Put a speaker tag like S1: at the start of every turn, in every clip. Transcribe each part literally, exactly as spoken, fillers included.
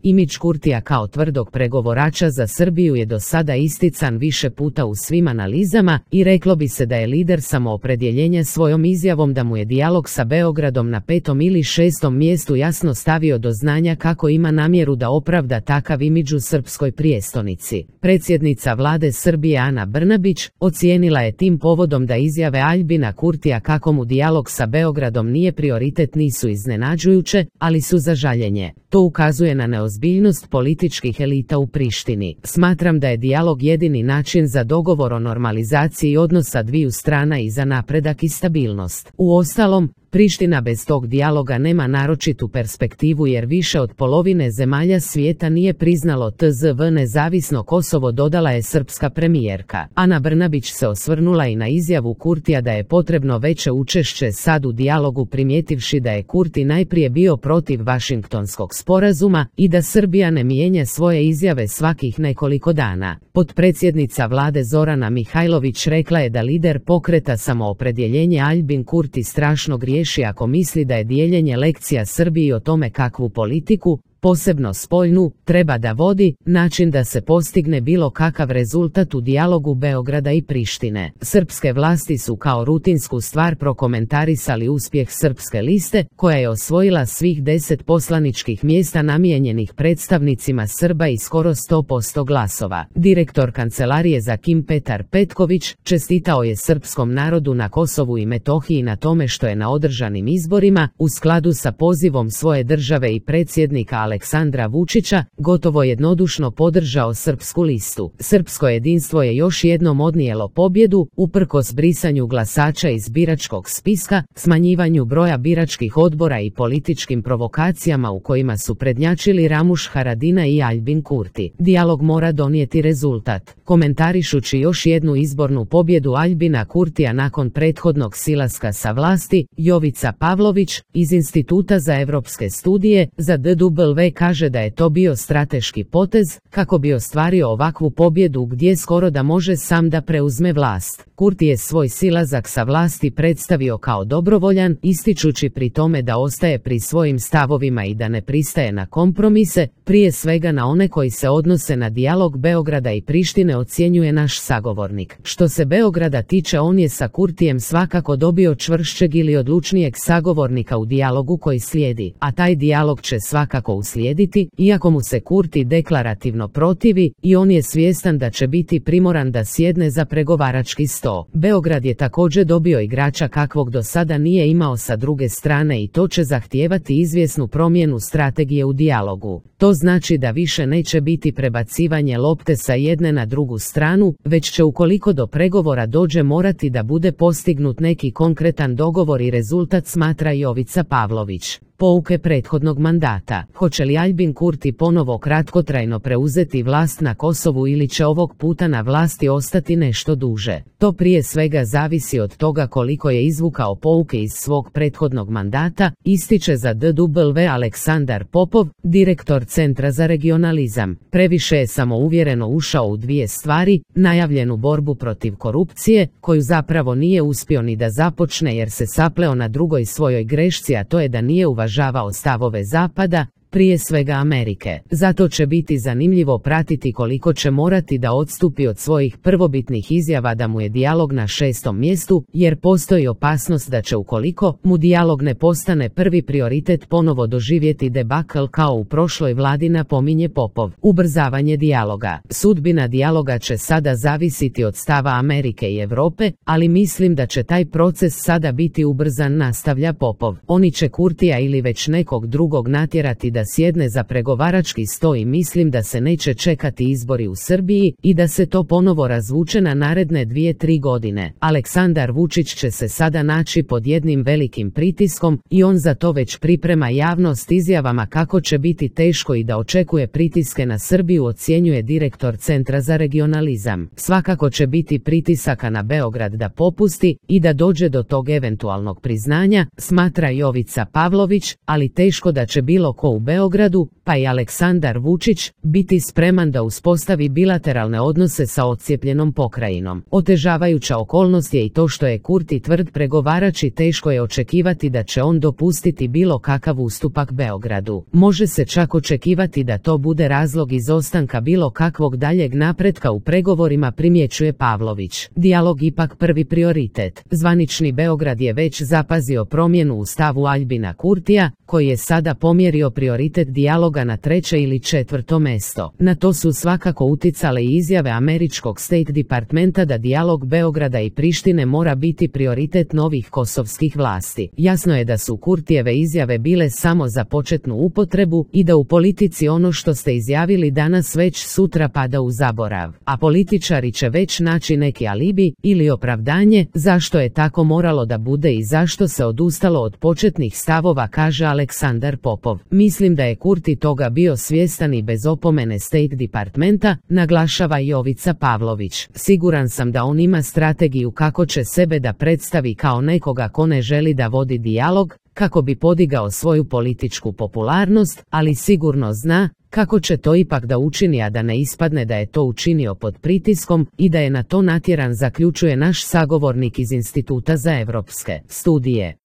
S1: Imidž Kurtija kao tvrdog pregovorača za Srbiju je do sada istican više puta u svim analizama i reklo bi se da je lider samoopredjeljenja svojom izjavom da mu je dijalog sa Beogradom na petom ili šestom mjestu jasno stavio do znanja kako ima namjeru da opravda takav imidž u srpskoj prijestolnici. Predsjednica vlade Srbije Ana Brnabić ocijenila je tim povodom da izjave Aljbina Kurtija kako mu dijalog sa Beogradom nije prioritet nisu iznenađujuće, ali su za žaljenje. To ukazuje na neozbiljnost političkih elita u Prištini. Smatram da je dijalog jedini način za dogovor o normalizaciji odnosa dviju strana i za napredak i stabilnost. Uostalom, Priština bez tog dijaloga nema naročitu perspektivu jer više od polovine zemalja svijeta nije priznalo T Z V nezavisno Kosovo, dodala je srpska premijerka. Ana Brnabić se osvrnula i na izjavu Kurtija da je potrebno veće učešće sad u dijalogu, primjetivši da je Kurti najprije bio protiv Vašingtonskog sporazuma i da Srbija ne mijenja svoje izjave svakih nekoliko dana. Potpredsjednica vlade Zorana Mihajlović rekla je da lider pokreta samoopredjeljenje Aljbin Kurti strašno griješi ako misli da je dijeljenje lekcija Srbiji o tome kakvu politiku, posebno spoljnu, treba da vodi, način da se postigne bilo kakav rezultat u dijalogu Beograda i Prištine. Srpske vlasti su kao rutinsku stvar prokomentarisali uspjeh Srpske liste, koja je osvojila svih deset poslaničkih mjesta namijenjenih predstavnicima Srba i skoro sto posto glasova. Direktor kancelarije za Kim Petar Petković čestitao je srpskom narodu na Kosovu i Metohiji na tome što je na održanim izborima, u skladu sa pozivom svoje države i predsjednika Aleksandra Vučića, gotovo jednodušno podržao Srpsku listu. Srpsko jedinstvo je još jednom odnijelo pobjedu, uprkos brisanju glasača iz biračkog spiska, smanjivanju broja biračkih odbora i političkim provokacijama u kojima su prednjačili Ramuš Haradina i Aljbin Kurti. Dijalog mora donijeti rezultat. Komentarišući još jednu izbornu pobjedu Aljbina Kurtija nakon prethodnog silaska sa vlasti, Jovica Pavlović iz Instituta za evropske studije za D W kaže da je to bio strateški potez kako bi ostvario ovakvu pobjedu gdje skoro da može sam da preuzme vlast. Kurti je svoj silazak sa vlasti predstavio kao dobrovoljan, ističući pri tome da ostaje pri svojim stavovima i da ne pristaje na kompromise, prije svega na one koji se odnose na dijalog Beograda i Prištine, ocjenjuje naš sagovornik. Što se Beograda tiče, on je sa Kurtijem svakako dobio čvršćeg ili odlučnijeg sagovornika u dijalogu koji slijedi, a taj dijalog će svakako uslijediti, iako mu se Kurti deklarativno protivi i on je svjestan da će biti primoran da sjedne za pregovarački sto. Beograd je također dobio igrača kakvog do sada nije imao sa druge strane i to će zahtijevati izvjesnu promjenu strategije u dijalogu. To znači da više neće biti prebacivanje lopte sa jedne na drugu stranu, već će ukoliko do pregovora dođe morati da bude postignut neki konkretan dogovor i rezultat, smatra Jovica Pavlović. Pouke prethodnog mandata. Hoće li Aljbin Kurti ponovo kratkotrajno preuzeti vlast na Kosovu ili će ovog puta na vlasti ostati nešto duže? To prije svega zavisi od toga koliko je izvukao pouke iz svog prethodnog mandata, ističe za D W Aleksandar Popov, direktor Centra za regionalizam. Previše je samouvjereno ušao u dvije stvari, najavljenu borbu protiv korupcije, koju zapravo nije uspio ni da započne jer se sapleo na drugoj svojoj grešci, a to je da nije uvažavao stavove Zapada, prije svega Amerike. Zato će biti zanimljivo pratiti koliko će morati da odstupi od svojih prvobitnih izjava da mu je dijalog na šestom mjestu, jer postoji opasnost da će ukoliko mu dijalog ne postane prvi prioritet ponovo doživjeti debakl kao u prošloj vladi, napominje Popov. Ubrzavanje dijaloga. Sudbina dijaloga će sada zavisiti od stava Amerike i Europe, ali mislim da će taj proces sada biti ubrzan, nastavlja Popov. Oni će Kurtija ili već nekog drugog natjerati da da sjedne za pregovarački sto i mislim da se neće čekati izbori u Srbiji i da se to ponovo razvuče na naredne dvije tri godine. Aleksandar Vučić će se sada naći pod jednim velikim pritiskom i on za to već priprema javnost izjavama kako će biti teško i da očekuje pritiske na Srbiju, ocjenjuje direktor Centra za regionalizam. Svakako će biti pritisaka na Beograd da popusti i da dođe do tog eventualnog priznanja, smatra Jovica Pavlović, ali teško da će bilo ko u Beogradu, pa i Aleksandar Vučić, biti spreman da uspostavi bilateralne odnose sa odcijepljenom pokrajinom. Otežavajuća okolnost je i to što je Kurti tvrd pregovarač i teško je očekivati da će on dopustiti bilo kakav ustupak Beogradu. Može se čak očekivati da to bude razlog izostanka bilo kakvog daljeg napretka u pregovorima, primjećuje Pavlović. Dijalog ipak prvi prioritet. Zvanični Beograd je već zapazio promjenu u stavu Aljbina Kurtija, koji je sada pomjerio prioritet dijaloga na treće ili četvrto mesto. Na to su svakako uticale i izjave američkog State Departmenta da dijalog Beograda i Prištine mora biti prioritet novih kosovskih vlasti. Jasno je da su Kurtijeve izjave bile samo za početnu upotrebu i da u politici ono što ste izjavili danas već sutra pada u zaborav, a političari će već naći neki alibi ili opravdanje zašto je tako moralo da bude i zašto se odustalo od početnih stavova, kaže Aleksandar Popov. Mislim da je Kurti toga bio svjestan i bez opomene State Departmenta, naglašava Jovica Pavlović. Siguran sam da on ima strategiju kako će sebe da predstavi kao nekoga ko ne želi da vodi dijalog, kako bi podigao svoju političku popularnost, ali sigurno zna kako će to ipak da učini, a da ne ispadne da je to učinio pod pritiskom i da je na to natjeran, zaključuje naš sagovornik iz Instituta za evropske studije.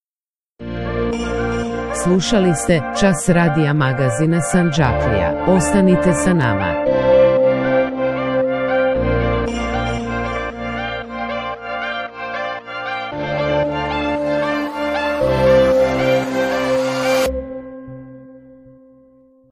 S1: Slušali ste Čas radija magazina Sandžaklija. Ostanite sa nama.